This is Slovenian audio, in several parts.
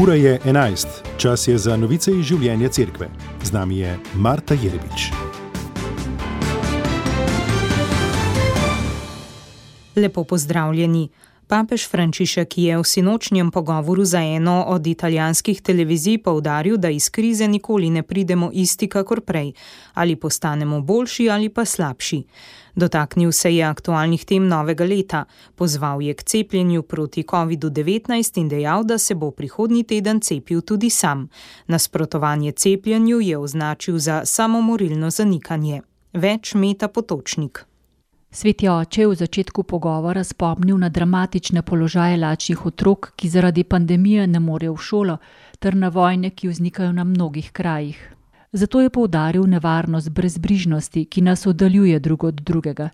Ura je 11, čas je za novice iz življenja cerkve. Z nami je Marta Jerebič. Lepo pozdravljeni. Papež Frančišek je v sinočnjem pogovoru za eno od italijanskih televizij poudaril, da iz krize nikoli ne pridemo isti kakor prej, ali postanemo boljši ali pa slabši. Dotaknil se je aktualnih tem novega leta, pozval je k cepljenju proti COVID-19 in dejal, da se bo prihodnji teden cepil tudi sam. Nasprotovanje cepljenju je označil za samomorilno zanikanje. Več Meta Potočnik. Sveti oče je v začetku pogovora spomnil na dramatične položaje lačnih otrok, ki zaradi pandemije ne morejo v šolo, ter na vojne, ki vznikajo na mnogih krajih. Zato je poudaril nevarnost brezbrižnosti, ki nas oddaljuje drug od drugega.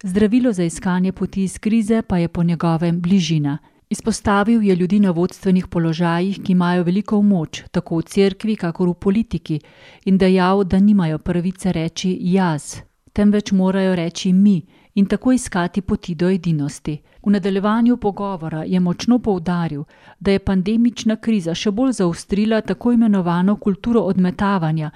Zdravilo za iskanje poti iz krize pa je po njegovem bližina. Izpostavil je ljudi na vodstvenih položajih, ki imajo veliko moč, tako v cerkvi, kakor v politiki, in dejal, da nimajo pravice reči jaz, temveč morajo reči mi in tako iskati poti do edinosti. V nadaljevanju pogovora je močno poudaril, da je pandemična kriza še bolj zaostrila tako imenovano kulturo odmetavanja.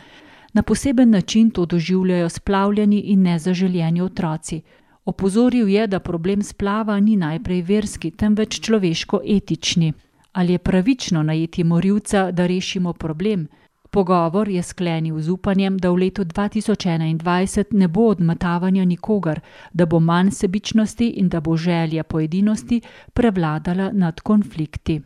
Na poseben način to doživljajo splavljeni in nezaželjeni otroci. Opozoril je, da problem splava ni najprej verski, temveč človeško-etični. Ali je pravično najeti morilca, da rešimo problem? Pogovor je sklenil z upanjem, da v letu 2021 ne bo odmetavanja nikogar, da bo manj sebičnosti in da bo želja po edinosti prevladala nad konflikti.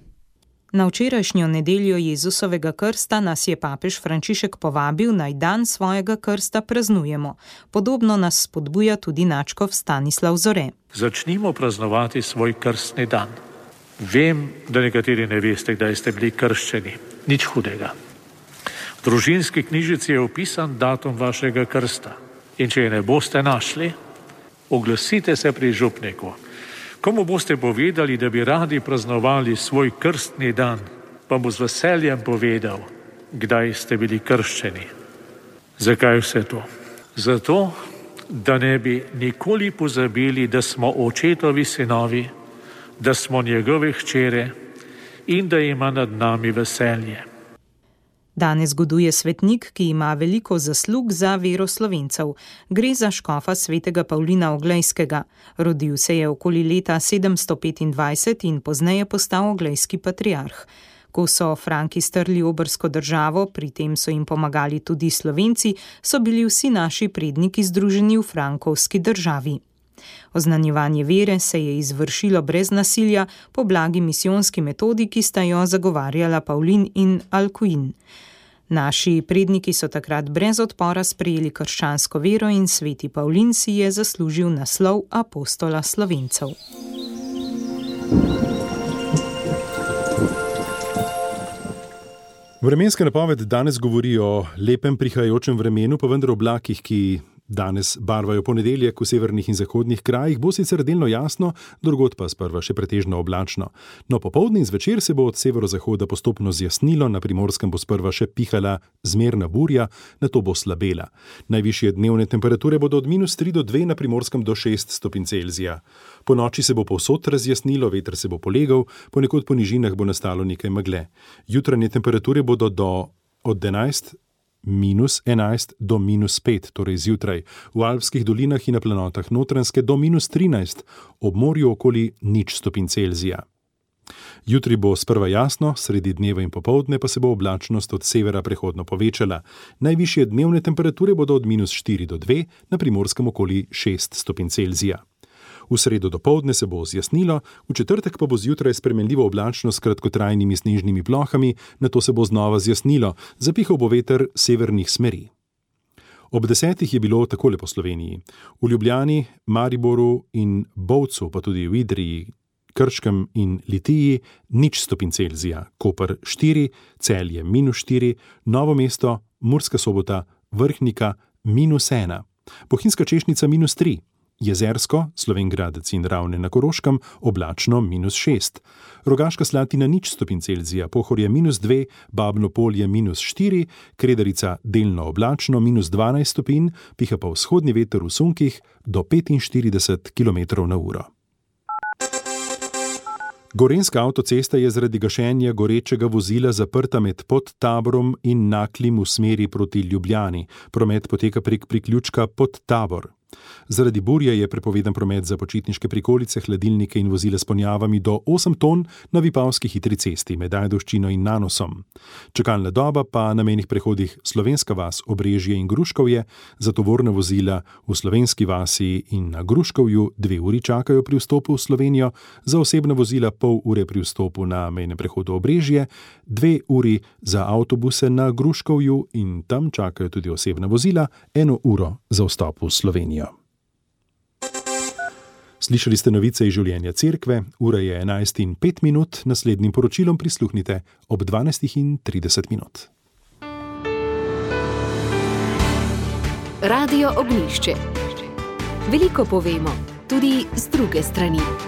Na včerajšnjo nedeljo Jezusovega krsta nas je papež Frančišek povabil, naj dan svojega krsta praznujemo. Podobno nas spodbuja tudi nadškof Stanislav Zore. Začnimo praznovati svoj krstni dan. Vem, da nekateri ne veste, kdaj ste bili krščeni. Nič hudega. V družinski knjižici je opisan datum vašega krsta. In če je ne boste našli, oglasite se pri župniku. Komu boste povedali, da bi radi praznovali svoj krstni dan, pa bo z veseljem povedal, kdaj ste bili krščeni. Zakaj vse to? Zato, da ne bi nikoli pozabili, da smo očetovi sinovi, da smo njegove hčere in da ima nad nami veselje. Danes goduje svetnik, ki ima veliko zaslug za vero Slovencev. Gre za škofa svetega Pavlina Oglejskega. Rodil se je okoli leta 725 in pozneje postal oglejski patriarh. Ko so Franki strli obrsko državo, pri tem so jim pomagali tudi Slovenci, so bili vsi naši predniki združeni v frankovski državi. Oznanjevanje vere se je izvršilo brez nasilja po blagi misijonski metodi, ki sta jo zagovarjala Pavlin in Alcuin. Naši predniki so takrat brez odpora sprejeli krščansko vero in sveti Pavlin si je zaslužil naslov apostola Slovencev. Vremenska napoved danes govori o lepem prihajajočem vremenu, pa vendar oblakih, ki danes barvajo ponedeljek v severnih in zahodnih krajih, bo sicer delno jasno, drugod pa sprva še pretežno oblačno. No, popoldne in zvečer se bo od severozahoda postopno zjasnilo, na Primorskem bo sprva še pihala zmerna burja, nato bo slabela. Najvišje dnevne temperature bodo od -3 do 2, na Primorskem do 6 stopinj Celzija. Po noči se bo povsod razjasnilo, veter se bo polegal, ponekod po nižinah bo nastalo nekaj megle. Jutranje temperature bodo od -11 do -5, torej zjutraj, v alpskih dolinah in na planotah Notranjske do -13, ob morju okoli 0 stopinj Celzija. Jutri bo sprva jasno, sredi dneva in popoldne pa se bo oblačnost od severa prehodno povečala. Najvišje dnevne temperature bodo od -4 do 2, na Primorskem okoli 6 stopinj Celzija. V sredo dopoldne se bo zjasnilo, v četrtek pa bo zjutraj spremenljivo oblačno s kratkotrajnimi snežnimi plohami, nato se bo znova zjasnilo, zapihal bo veter severnih smeri. Ob 10 je bilo takole po Sloveniji. V Ljubljani, Mariboru in Bovcu, pa tudi v Idriji, Krškem in Litiji 0 stopinj Celzija, Koper 4, Celje -4, Novo mesto, Murska Sobota, Vrhnika -1, Bohinjska Češnica -3, Jezersko, Slovenj Gradec in Ravne na Koroškem oblačno -6, Rogaška Slatina 0 stopinj Celzija, Pohorje -2, Babno Polje -4, Kredarica delno oblačno -12 stopinj, piha pa vzhodni veter v sunkih do 45 km/h. Gorenjska avtocesta je zaradi gašenja gorečega vozila zaprta med Podtaborom in Naklim v smeri proti Ljubljani. Promet poteka prek priključka Podtabor. Zaradi burje je prepovedan promet za počitniške prikolice, hladilnike in vozila s ponjavami do 8 ton na Vipavski hitri cesti med Ajdovščino in Nanosom. Čakalna doba pa na mejnih prehodih Slovenska vas, Obrežje in Gruškovje za tovorna vozila v Slovenski vasi in na Gruškovju 2 uri čakajo pri vstopu v Slovenijo, za osebna vozila pol ure pri vstopu na mejnem prehodu Obrežje, 2 uri za avtobuse na Gruškovju in tam čakajo tudi osebna vozila, 1 uro za vstop v Slovenijo. Slišali ste novice iz življenja cerkve, ura je 11:05, naslednjim poročilom prisluhnite ob 12:30. Radio Ognjišče. Veliko povemo, tudi z druge strani.